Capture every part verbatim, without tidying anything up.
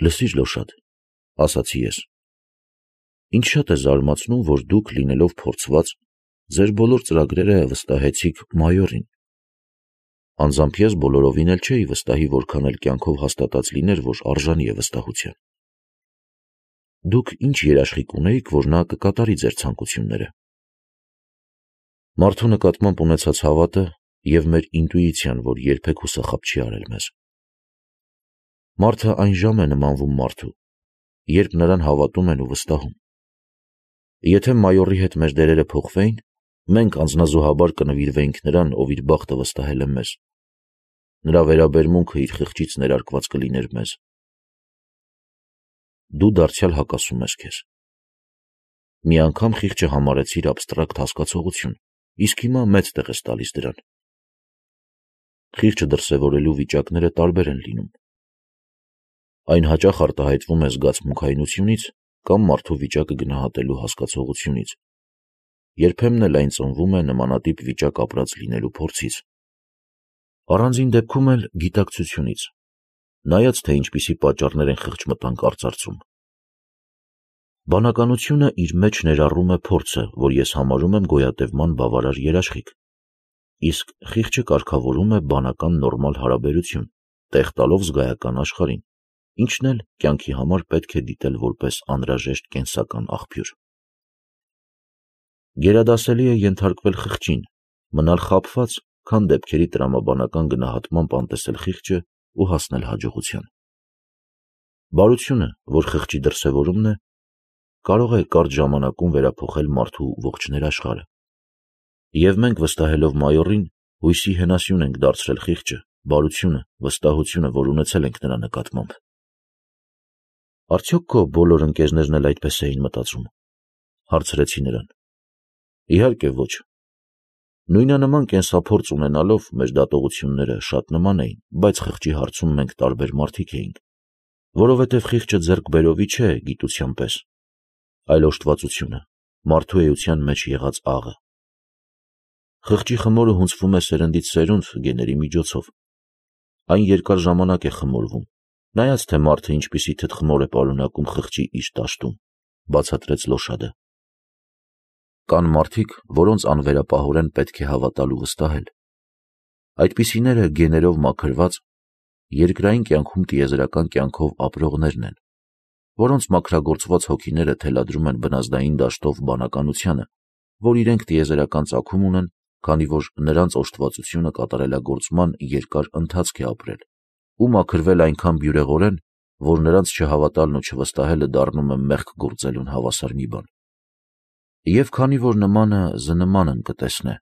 Լսիր Լոշադ, ասացի ես, ինձ շատ է զարմացնում, որ դուք լինելով փորձված, ձեր բոլոր ծրագրերը վստահեցիք մայորին։ Անձամբ ես բոլորովին էլ չէի վստահի, որքան էլ կյանքով հաստատած լիներ, որ արժանի է վստահության։ Դուք ինչ երաշխիք ունեիք, որ նա կկատարի ձեր ցանկությունները։ Մարդու նկատմամբ ունեցած հավատը և մեր ինտուիցիան, որ երբեք հուսախաբ չի արել մեզ։ Մարդը այն ժամ է նմանվում մարդու, երբ նրան հավատում են ու վստահում։ Եթե մայորի հետ մեր դերերը փոխվեին, մենք անձնազոհաբար կնվիրվեինք նրան, ով իր բախտը վստահել է մեզ։ Նրա վերաբերմունքը իր խղճից ներարկված կլիներ մեզ։ Դու դարձյալ հակասում ես քեզ։ Մի անգամ խիղճը համարեցիր աբստրակտ հասկացողություն, իսկ հիմա մեծ տեղ ես տալիս դրան։ Խիղճը դրսևորելու վիճակները տարբեր են լինում։ Այն հաճախ արտահայտվում է զգացմունքայնությունից կամ մարդու վիճակը գնահատելու հասկացողությունից, երբեմն էլ այն ծնվում է նմանատիպ վիճակ ապրած լինելու փորձից, առանձին դեպքում էլ գիտակցությունից, նայած թե ինչպիսի պատճառներ են խղճմտանք արծարծում։ Բանականությունը իր մեջ ներառում է փորձը, որ ես համարում եմ գոյատևման բավարար երաշխիք, իսկ խիղճը կարգավորում է բանական նորմալ հարաբերություն, տեղ տալով զգայական աշխարհին, ինչն էլ կյանքի համար պետք է դիտել որպես անհրաժեշտ կենսական աղբյուր։ Գերադասելի է ենթարկվել խղճին, մնալ խաբված, քան դեպքերի տրամաբանական գնահատմամբ անտեսել խիղճը ու հասնել հաջողության։ Բարությունը, որ խղճի դրսևորումն է, կարող է կարճ ժամանակում վերափոխել մարդու ողջ ներաշխարհը։ Եվ մենք վստահելով մայորին, հույսի հենասյուն ենք դարձրել խիղճը, բարությունը, վստահությունը, որ ունեցել ենք նրա նկատմամբ։ Արդյոք քո բոլոր ընկերներն էլ այդպես էին մտածում, հարցրեցի նրան։ Իհարկե ոչ։ Նույնանման կենսափորձ ունենալով մեր դատողությունները շատ նման էին, բայց խղճի հարցում մենք տարբեր մարդիկ էինք, որովհետև խիղճը ձեռք բերովի չէ գիտության պես, այլ օժտվածությունը, մարդու էության մեջ եղած աղը։ Խղճի խմորը հունձվում է սերնդից սերունդ գեների միջոցով։ Այն երկար ժամանակ է խմորվում, նայած թե մարդը ինչպիսի թթխմոր է պարունակում խղճի իր դաշտում, բացատրեց Լոշադը։ Կան մարդիկ, որոնց անվերապահորեն պետք է հավատալ ու վստահել։ Այդպիսիները գեներով մաքրված, երկրային կյանքում տիեզերական կյանքով ապրողներն են, որոնց մաքրագործված հոգիները թելադրում են բնազդային դաշտով բանականությանը, որ իրենք տիեզերական ծագում ունեն, քանի որ նրանց օժտվածությունը կատարելագործման երկար ընթացք է ապրել, ու մաքրվել այնքան բյուրեղորեն, որ նրանց չհավատալն ու չվստահելը դառնում է մեղք գործելուն հավասար մի բան։ Եվ քանի որ նմանը զնմանն կտեսնե,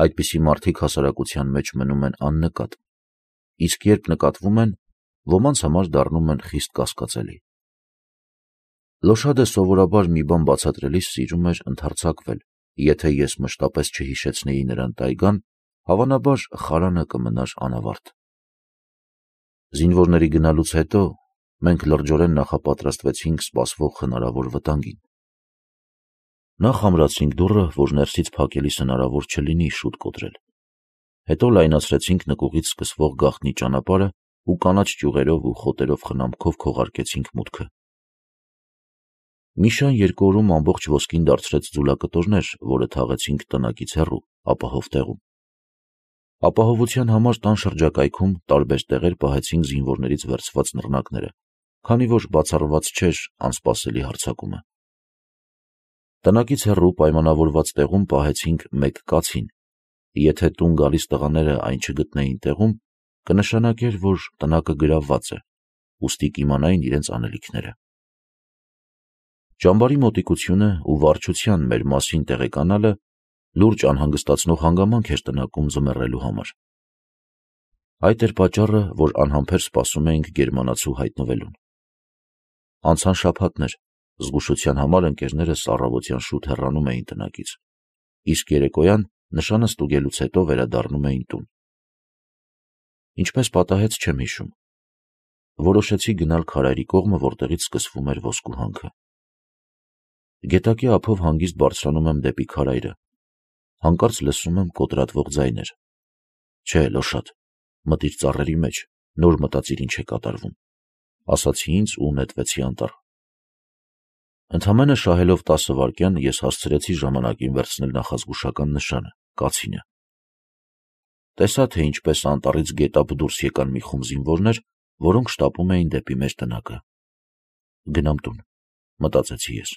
այդպիսի մարդիկ հասարակության մեջ մնում են աննկատ, իսկ երբ նկատվում են, ոմանց համար դառնում են խիստ կասկածելի։ Լոշադը սովորաբար մի բան բացատրելիս սիրում էր ընդհարձակվել, եթե ես մշտապես չհիշեցնեի նրան տայգան, հավանաբար խարանը կմնար անավարտ։ Զինվորների գնալուց հետո մենք լրջորեն նախապատրաստվեցինք սպասվող հնարավոր վտանգին։ Նախ ամրացրինք դուռը, որ ներսից փակելիս հնարավոր չլինի շուտ կոտրել։ Հետո լայնացրեցինք նկուղից սկսվող գաղտնի ճանապարհը ու կանաչ ճյուղերով ու խոտերով խնամքով քողարկեցինք մուտքը։ Մի շան երկու օրում ամբողջ ոսկին դարձրեց ձուլակտորներ, որը թաղեցինք տնակից հեռու, ապահով տեղում։ Ապահովության համար տան շրջակայքում տարբեր տեղեր պահեցինք զինվորներից վերցված նռնակները, քանի որ բացառված չէր անսպասելի հարձակումը։ Տնակից հեռու պայմանավորված տեղում պահեցինք մեկ կացին։ Եթե տուն գալիս տղաները այն չգտնեին տեղում, կնշանակեր, որ տնակը գրավված է, ուստի կիմանային իրենց անելիքները։ Ճամբարի մոտիկությունը ու վարչության մեր մասին տեղեկանալը լուրջ անհանգստացնող հանգամանք էր տնակում ձմեռելու համար։ Այդ էր պատճառը, որ անհամբեր սպասում էինք գերմանացու հայտնվելուն։ Անցան շաբաթներ, զգուշության համար ընկերներս առավոտյան շուտ հեռանում էին տնակից, իսկ երեկոյան նշանը ստուգելուց հետո վերադառնում էին տուն։ Ինչպես պատահեց, չեմ հիշում։ Որոշեցի գնալ քարայրի կողմը, որտեղից սկսվում էր ոսկու հանքը։ Գետակի ափով հանգիստ բարձրանում եմ դեպի քարայրը։ Հանկարծ լսում եմ կոտրատվող ձայներ։ Չէ, Լոշադ, մտիր ծառերի մեջ, նոր մտածիր ինչ է կատարվում։ ասացի ինձ ու նետվեցի անտառ։ Ընդամենը շահելով տասը վայրկյան ես հասցրեցի ժամանակին վերցնել նախազգուշական նշանը՝ կացինը։ Տեսա, թե ինչպես անտառից գետափ դուրս եկան մի խումբ զինվորներ, որոնք շտապում էին դեպի մեր տնակը։ Գնամ տուն, մտածեցի ես։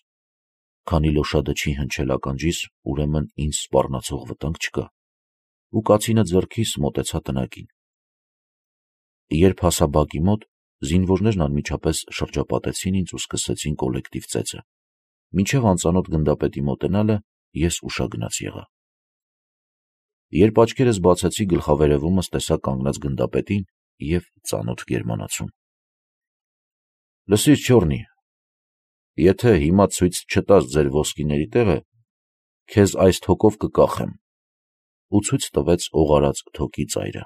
Քանի լոշադը չի հնչել ականջիս, ուրեմն ինձ սպառնացող վտանգ չկա, ու կացինը ձեռքիս մոտեցա տնակին։ Երբ հասա բակի մոտ, զինվորներն անմիջապես շրջապատեցին ինձ ու սկսեցին կոլեկտիվ ծեծը։ Մինչև անծանոթ գնդապետի մոտենալը ես ուշագնաց եղա։ Երբ աչքերս բացեցի, գլխավերևումս տեսա կանգնած գնդապետին և ծանոթ գերմանացուն։ Լսիր, չոռնի, եթե հիմա ցույց չտաս ձեր ոսկիների տեղը, քեզ այս թոկով կկախեմ, ու ցույց տվեց օղարած թոկի ծայրը։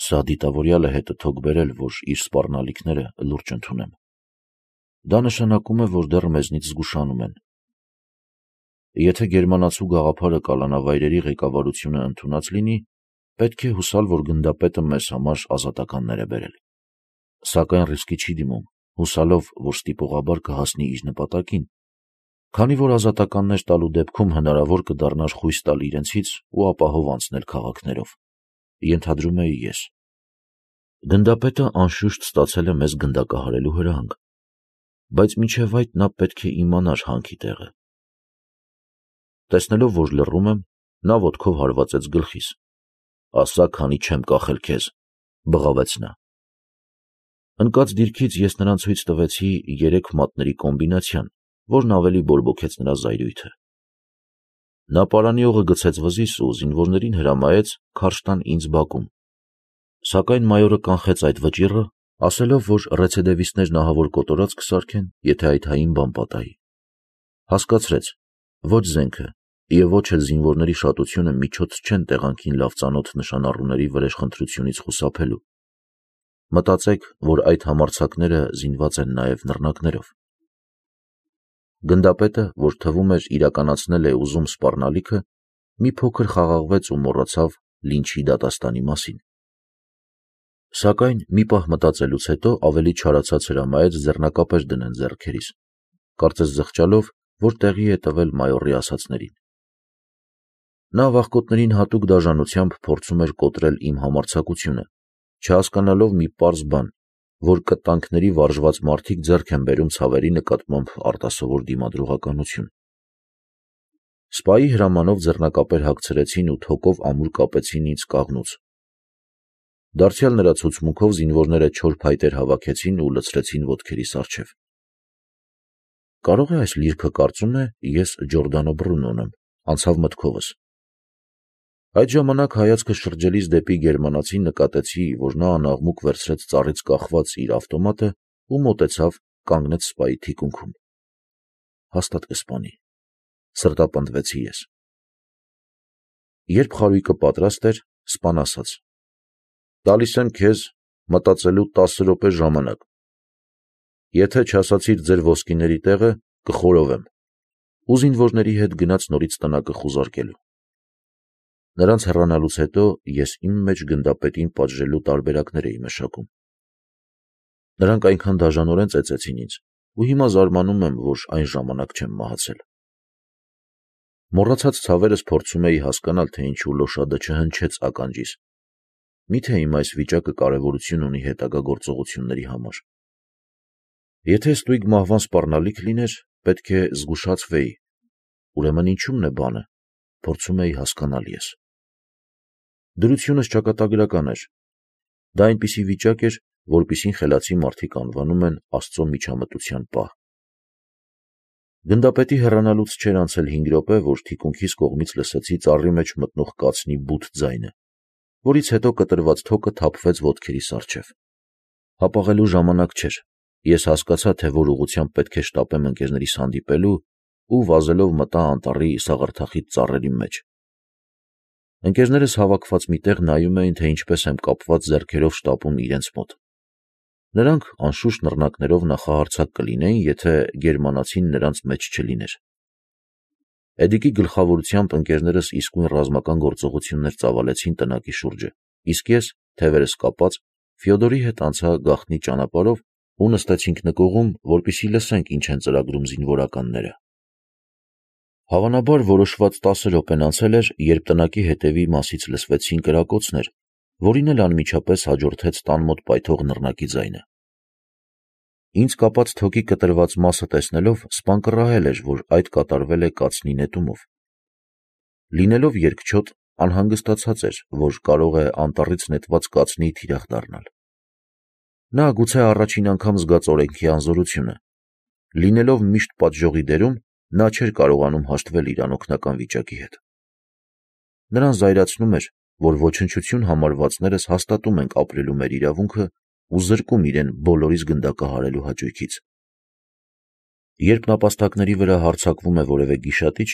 Սա դիտավորյալ է հետը թոկ բերել, որ իր սպառնալիքները լուրջ ընդունեմ։ Դա նշանակում է, որ դեռ մեզնից զգուշանում են։ Եթե գերմանացու գաղափարը կալանավայրերի ղեկավարությունը ընդունած լինի, պետք է հուսալ, որ գնդապետը մեզ համար ազատականներ է բերել։ Սակայն ռիսկի չի դիմում, հուսալով, որ ստիպողաբար կհասնի իր նպատակին, քանի որ ազատականներ տալու դեպքում հնարավոր կդառնար խույս տալ իրենցից ու ապահով անցնել քաղաքներով, ենթադրում էի ես։ Գնդապետը անշուշտ ստացել է մեզ գնդակահարելու հրահանգ, բայց մինչև այդ նա պետք է իմանար հանքի տեղը։ Տեսնելով, որ լռում եմ, նա ոտքով հարվածեց գլխիս։ Ասա, քանի չեմ կախել քեզ, բղավեց նա։ Ընկած դիրքից ես նրան ցույց տվեցի երեք մատների կոմբինացիան, որն ավելի բորբոքեց նրա զայրույթը։ Նա պարանի օղը գցեց վզիս ու զինվորներին հրամայեց քարշ տան ինձ բակում, սակայն մայորը կանխեց այդ վճիռը, ասելով, որ ռեցեդևիստներն ահավոր կոտորած կսարքեն, եթե այդ հային բան պատահի։ Հասկացրեց, ոչ զենքը և ոչ էլ զինվորների շատությունը միջոց չեն տեղանքին լավ ծանոթ նշանառուների վրեժխնդրությունից խուսափելու։ Մտածեք, որ այդ համարձակները զինված են նաև նռնակներով։ Գնդապետը, որ թվում էր իրականացնել է ուզում սպառնալիքը, մի փոքր խաղաղվեց ու մոռացավ լինչի դատաստանի մասին։ Սակայն մի պահ մտածելուց հետո ավելի չարացած հրամայեց ձեռնակապեր դնեն ձեռքերիս, կարծես զղջալով, որ տեղի է տվել մայորի ասածներին։ Նա վախկոտներին հատուկ դաժանությամբ փորձում էր կոտրել իմ համարձակությունը, չհասկանալով մի պարզ բան, որ կտանքների վարժված մարդիկ ձեռք են բերում ցավերի նկատմամբ արտասովոր դիմադրողականություն։ Սպայի հրամանով ձեռնակապեր հագցրեցին ու թոկով ամուր կապեցին ինձ կաղնուց։ Դարձյալ նրա ցուցմունքով զինվորները չոր փայտեր հավաքեցին ու լցրեցին ոտքերիս առջև։ Կարող է այս լիրքը կարծում է ես Ջորդանո Բրունոն եմ, անցավ մտքովս։ Այդ ժամանակ հայացքը շրջելիս դեպի գերմանացին նկատեցի, որ նա անաղմուկ վերցրեց ծառից կախված իր ավտոմատը ու մոտեցավ, կանգնեց սպայի թիկունքում։ Հաստատ կսպանի, սրտապնդվեցի ես։ Երբ խարույկը պատրաստ էր, սպան ասաց. «Տալիս եմ քեզ մտածելու տասը րոպե ժամանակ։ Եթե չասացիր ձեր ոսկիների տեղը, կխորովեմ, ու զինվորների հետ գնաց նորից տնակը խուզարկելու»։ Նրանց հեռանալուց հետո ես իմ մեջ գնդապետին պատժելու տարբերակներ էի մշակում։ Նրանք այնքան դաժանորեն ծեծեցին ինձ, ու հիմա զարմանում եմ, որ այն ժամանակ չեմ մահացել։ Մոռացած ցավերս փորձում էի հասկանալ, թե ինչու լոշադը չհնչեց ականջիս։ Միթե իմ այս վիճակը կարևորություն ունի հետագա գործողությունների համար։ Եթե ստույգ մահվան սպառնալիք լիներ, պետք է զգուշացվեի, ուրեմն ինչու՞մն է բանը, փորձում էի հասկանալ ես։ Դրությունս ճակատագրական էր։ Դա այնպիսի վիճակ էր, որպիսին խելացի մարդիկ անվանում են Աստծո միջամտության պահ։ Գնդապետի հեռանալուց չէր անցել հինգ րոպե, որ թիկունքիս կողմից լսեցի ծառի մեջ մտնող կացնի բութ ձայնը, որից հետո կտրված թոկը թափվեց ոտքերիս առջև։ Հապաղելու ժամանակ չէր։ Ես հասկացա, թե որ ուղղությամբ պետք է շտապեմ ընկերներիս հանդիպելու ու վազելով մտա անտառի սաղարթախիտ ծառերի մեջ։ Ընկերներս հավաքված մի տեղ նայում էին, թե ինչպես եմ կապված ձեռքերով շտապում իրենց մոտ։ Նրանք անշուշտ նռնակներով նախահարձակ կլինեին, եթե գերմանացին նրանց մեջ չլիներ։ Էդիկի գլխավորությամբ ընկերներս իսկույն ռազմական գործողություններ ծավալեցին տնակի շուրջը, իսկ ես, թևերս կապած, Ֆյոդորի հետ անցա գաղտնի ճանապարհով ու նստեցինք նկուղում, որպեսզի լսենք ինչ են ծրագրում զինվորականները։ Հավանաբար որոշված տասը րոպեն անցել էր, երբ տնակի հետևի մասից լսվեցին կրակոցներ, որին էլ անմիջապես հաջորդեց տան մոտ պայթող նռնակի ձայնը։ Ինձ կապած թոքի կտրված մասը տեսնելով սպան կռահել էր, որ այդ կատարվել է կացնի նետումով։ Լինելով երկչոտ, անհանգստացած էր, որ կարող է անտառից նետված կացնի թիրախ դառնալ։ Նա գուցե առաջին անգամ զգաց օրենքի անզորությունը։ Լինելով միշտ պատժողի դերում, նա չէր կարողանում հաշտվել իր անօգնական վիճակի հետ։ Նրան զայրացնում էր, որ ոչնչություն համարվածներս հաստատում ենք ապրելու մեր իրավունքը ու զրկում իրեն բոլորիս գնդակահարելու հաճույքից։ Երբ նապաստակների վրա հարձակվում է որևէ գիշատիչ,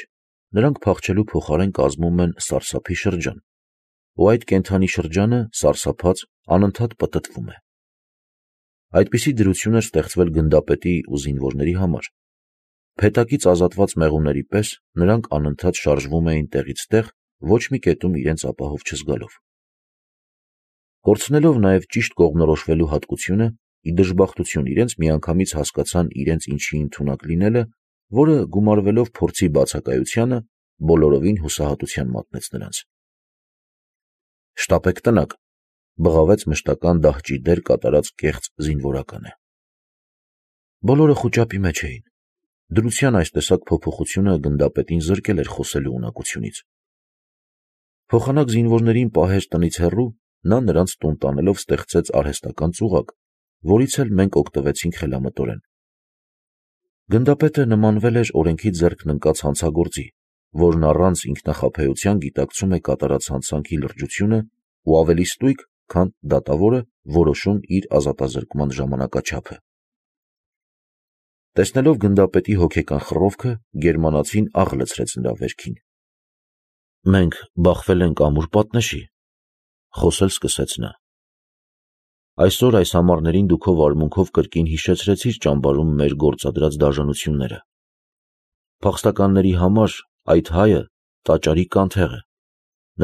նրանք փախչելու փոխարեն կազմում են սարսափի շրջան, ու այդ կենդանի շրջանը, սարսափած, անընդհատ պտտվում է։ Այդպիսի դրություն էր ստեղծվել գնդապետի ու զինվորների համար։ Փետակից ազատված մեղուների պես նրանք անընդհատ շարժվում էին տեղից տեղ, ոչ մի կետում իրենց ապահով չզգալով։ Կորցնելով նաև ճիշտ կողմնորոշվելու հատկությունը, ի դժբախտություն իրենց միանգամից հասկացան իրենց ինչի ընդունակ լինելը, որը գումարվելով փորձի բացակայությանը, բոլորովին հուսահատության մատնեց նրանց։ «Շտապեք տնակ», բղավեց մշտական դահճի դեր կատարած կեղծ զինվորականը։ Բոլորը խուճապի մեջ էին։ Դրության այս տեսակ փոփոխությունը գնդապետին զրկել էր խոսելու ունակությունից։ Փոխանակ զինվորներին պահեր տնից հեռու, նա նրանց տուն տանելով ստեղծեց արհեստական ծուղակ, որից էլ մենք օգտվեցինք խելամտորեն։ Գնդապետը նմանվել էր օրենքի ձեռքն ընկած հանցագործի, որն առանց ինքնախաբեության գիտակցում է կատարած հանցանքի լրջությունը ու ավելի ստույգ, քան դատավորը, որոշում իր ազատազրկման ժամանակաչափը։ Տեսնելով գնդապետի հոգեկան խռովքը, գերմանացին աղ լցրեց նրա վերքին։ «Մենք բախվել ենք ամուր պատնեշի», խոսել սկսեց նա։ «Այսօր այս ամառներին դու քո վարմունքով կրկին հիշեցրեցիր ճամբարում մեր գործադրած դաժանությունները։ Փախստականների համար այդ հայը տաճարի կանթեղ է,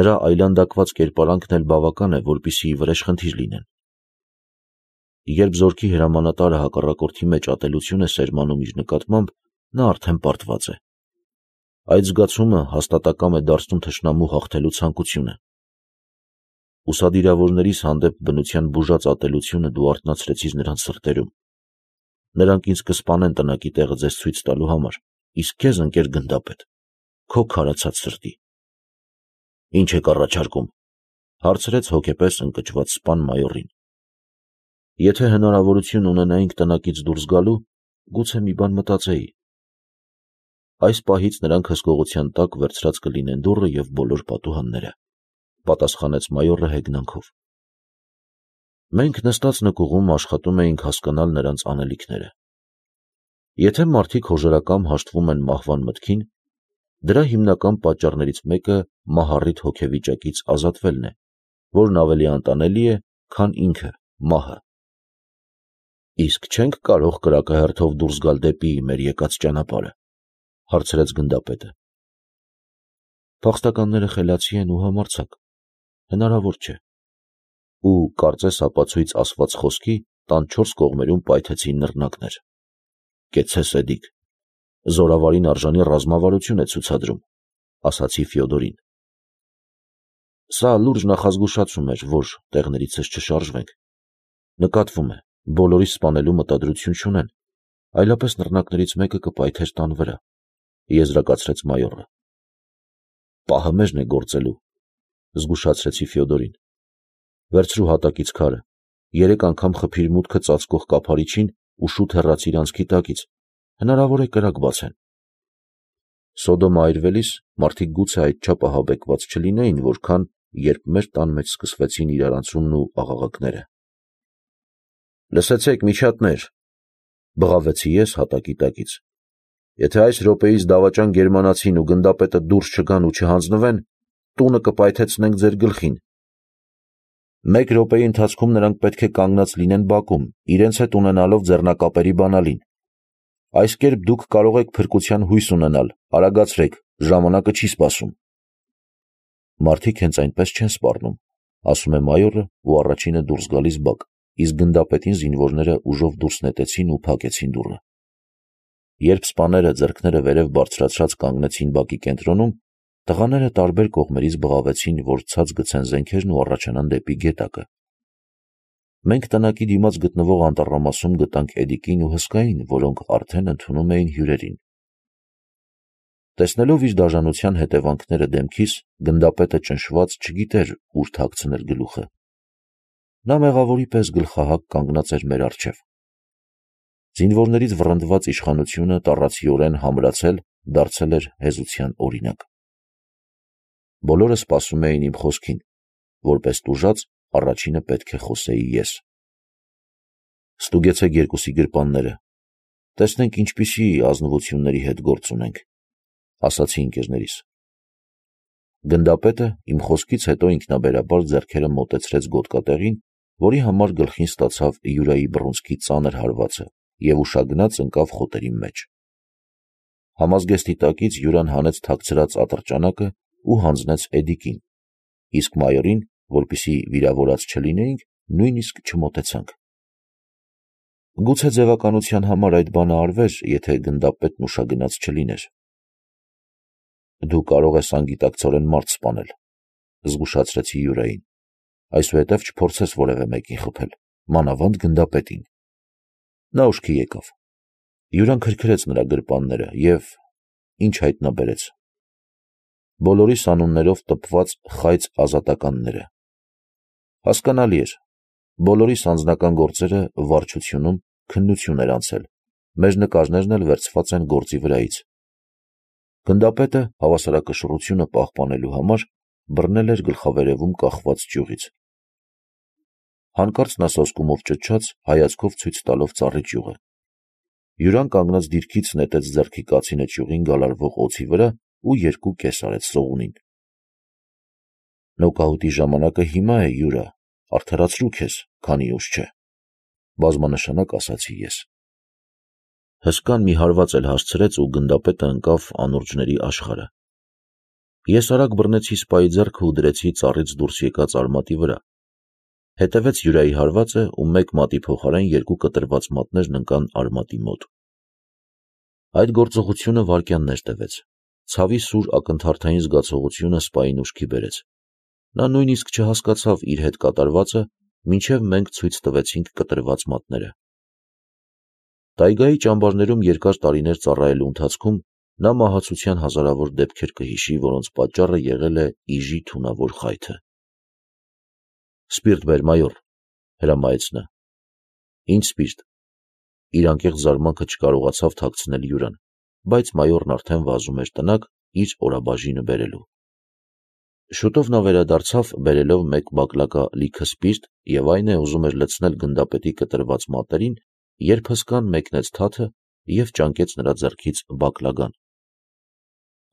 նրա այլանդակված կերպարանքն էլ բավական է, որպեսզի վրեժխնդիր լինեն։ Երբ զորքի հրամանատարը հակառակորդի մեջ ատելություն է սերմանում իր նկատմամբ, նա արդեն պարտված է։ Այդ զգացումը հաստատակամ է դարձնում թշնամու հաղթելու ցանկությունը։ Ուսադիրավորներիս հանդեպ բնության բուժած ատելությունը դու արթնացրեցիր նրանց սրտերում։ Նրանք ինձ կսպանեն տնակի տեղը ձեզ ցույց տալու համար, իսկ քեզ, ընկեր գնդապետ, քո քարացած սրտի»։ «Ինչ եք առաջարկում», հարցրեց հոգեպես ընկճված սպան մայորին։ «Եթե հնարավորություն ունենայինք տնակից դուրս գալու, գուցե մի բան մտածեի։ Այս պահից նրանք հսկողության տակ վերցրած կլինեն դուռը և բոլոր պատուհանները», պատասխանեց մայորը հեգնանքով։ Մենք նստած նկուղում աշխատում էինք հասկանալ նրանց անելիքները։ Եթե մարդիկ հոժարակամ հաշտվում են մահվան մտքին, դրա հիմնական պատճառներից մեկը մահառիթ հոգեվիճակից ազատվելն է, որն ավելի անտանելի է, քան ինքը, մահը։ «Իսկ չենք կարող կրակահերթով դուրս գալ դեպի մեր եկած ճանապարհը», հարցրեց գնդապետը։ «Փախստականները խելացի են ու համարձակ, հնարավոր չէ»։ Ու կարծես ապացույց ասված խոսքի տան չորս կողմերում պայթեցին նռնակներ։ «Կեցցե սեդիկ, զորավարին արժանի ռազմավարություն է ցուցադրում», ասացի Ֆյոդորին։ Սա լուրջ նախազգուշացում էր, որ տեղներիցս չշարժվենք։ Նկատվում է, բոլորիս սպանելու մտադրություն չունեն, այլապես նռնակներից մեկը կպայթեր տան վրա, եզրակացրեց մայորը։ «Պահը մեզն է գործելու», զգուշացրեցի Ֆյոդորին։ «Վերցրու հատակից քարը, երեք անգամ խփիր մուտքը ծածկող կափարիչին ու շուտ հեռացիր անցքի տակից, հնարավոր է կրակ բացեն»։ Սոդոմը այրվելիս մարդիկ գուցե այդչափ ահաբեկված չլինեին, որքան երբ մեր տան մեջ սկսվեցին իրարանցումն ու աղաղակները։ «Լսեցեք, միջատներ», բղավեցի ես հատակի տակից։ «Եթե այս րոպեիս դավաճան գերմանացին ու գնդապետը դուրս չգան ու չհանձնվեն, տունը կպայթեցնենք ձեր գլխին։ Մեկ րոպեի ընթացքում նրանք պետք է կանգնած լինեն բակում, իրենց հետ ունենալով ձեռնակապերի բանալին։ Այս կերպ դուք կարող եք փրկության հույս ունենալ, արագացրեք, ժամանակը չի սպասում»։ «Մարդիկ հենց այնպես չեն սպառնում», ասում է մայորը ու առաջինը դուրս գալիս բակ, իսկ գնդապետին զինվորները ուժով դուրս նետեցին ու փակեցին դուռը։ Երբ սպաները ձեռքները վերև բարձրացրած կանգնեցին բակի կենտրոնում, տղաները տարբեր կողմերից բղավեցին, որ ցած գցեն զենքերն ու առաջանան դեպի գետակը։ Մենք տնակի դիմաց գտնվող անտառամասում գտանք Էդիկին ու Հսկային, որոնք արդեն ընդունում էին հյուրերին։ Տեսնելով իր դաժանության հետևանքները դեմքիս, գնդապետը ճնշված չգիտեր ուր թաքցնել գլուխը։ Նա մեղավորի պես գլխահակ կանգնած էր մեր առջև։ Զինվորներից վռնդված իշխանությունը տառացիորեն համրացել դարձել էր հեզության օրինակ։ Բոլորը սպասում էին իմ խոսքին, որպես տուժած առաջինը պետք է խոսեի ես։ Ստուգեցեք երկուսի գրպանները, տեսնենք ինչպիսի ազնվությունների հետ գործ ունենք, ասացի ընկերներիս։ Գնդապետը իմ խոսքից հետո ինքնաբերաբար ձեռքերը մոտեցրեց գոտկատեղին, որի համար գլխին ստացավ Յուրայի բռունցքի ծանր հարվածը և ուշագնաց ընկավ խոտերի մեջ։ Համազգեստի տակից Յուրան հանեց թաքցրած ատրճանակը ու հանձնեց Էդիկին, իսկ մայորին, որպեսզի վիրավորած չլինեինք, նույնիսկ չմոտեցանք։ Գուցե ձևականության համար այդ բանը արվեր, եթե գնդապետն ուշագնաց չլիներ։ Դու կարող ես անգիտակցորեն մարդ սպանել, զգուշացրեցի Յուրային, այսուհետև չփորձես որևէ մեկին խփել, մանավանդ գնդապետին։ Նա ուշքի եկավ։ Յուրան քրքրեց նրա գրպանները և ինչ հայտնաբերեց։ Բոլորիս անուններով տպված խայծ ազատականները։ Հասկանալի էր, բոլորիս անձնական գործերը վարչությունում քննություն էր անցել, մեր նկարներն էլ վերցված են գործի վրայից։ Գնդապետը հավասարակշռությունը պահպանելու համար բռնել էր գլխավերևում կախված ճյուղից։ Հանկարծ նա սոսկումով ճչաց, հայացքով ցույց տալով ծառի ճյուղը։ Յուրան կանգնած դիրքից նետեց ձեռքի կացինը ճյուղին գալարվող օձի վրա ու երկու կես արեց սողունին։ Նոկաուտի ժամանակը հիմա է, Յուրա, արդարացրու քեզ, քանի ուշ չէ, բազմանշանակ ասացի ես։ Հսկան մի հարված էլ հասցրեց ու գնդապետը ընկավ անուրջների աշխարհը։ Ես արագ բռնեցի սպայի ձեռքը ու դրեցի ծառից դուրս եկած արմատի վրա։ Հետևեց Յուրայի հարվածը ու մեկ մատի փոխարեն երկու կտրված մատներն ընկան արմատի մոտ։ Այդ գործողությունը վայրկյաններ տևեց։ Ցավի սուր ակնթարթային զգացողությունը սպային ուշքի բերեց։ Նա նույնիսկ չհասկացավ իր հետ կատարվածը, մինչև մենք ցույց տվեցինք կտրված մատները։ Տայգայի ճամբարներում երկար տարիներ ծառայելու ընթացքում նա մահացության հազարավոր դեպքեր կհիշի, որոնց պատճառը եղել է իժի թունավոր խայթը։ Սպիրտ բեր, մայոր, հրամայեց նա։ Ինչ սպիրտ։ Իր անկեղծ զարմանքը չկարողացավ թաքցնել Յուրան, բայց մայորն արդեն վազում էր տնակ իր օրաբաժինը բերելու։ Շուտով նա վերադարձավ, բերելով մեկ բակլակա լիքը սպիրտ և այն է ուզում էր լցնել գնդապետի կտրված մատներին, երբ հսկան մեկնեց թաթը և ճանկեց նրա ձեռքից բակլական։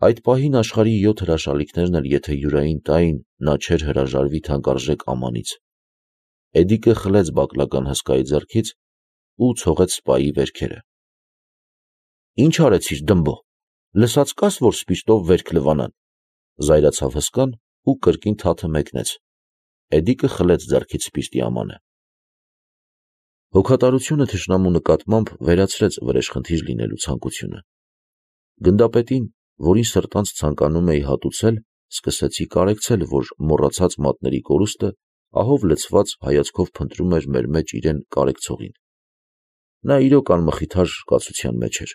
Այդ պահին աշխարհի յոթ հրաշալիքներն էլ եթե Յուրային տային, նա չէր հրաժարվի թանկարժեք ամանից։ Էդիկը խլեց բակլական հսկայի ձեռքից ու ցողեց սպայի վերքերը։ Ինչ արեցիր, դմբո, լսած կաս, որ սպիրտով վերք լվանան, զայրացավ հսկան ու կրկին թաթը մեկնեց։ Էդիկը խլեց ձեռքից սպիրտի ամանը։ Հոգատարությունը թշնամու նկատմամբ վերացրեց վրեժխնդիր լինելու ցանկությունը։ Գնդապետին, որին սրտանց ցանկանում էի հատուցել, սկսեցի կարեկցել, որ մոռացած մատների կորուստը ահով լցված հայացքով փնտրում էր մեր մեջ իրեն կարեկցողին։ Նա իրոք անմխիթար կացության մեջ էր։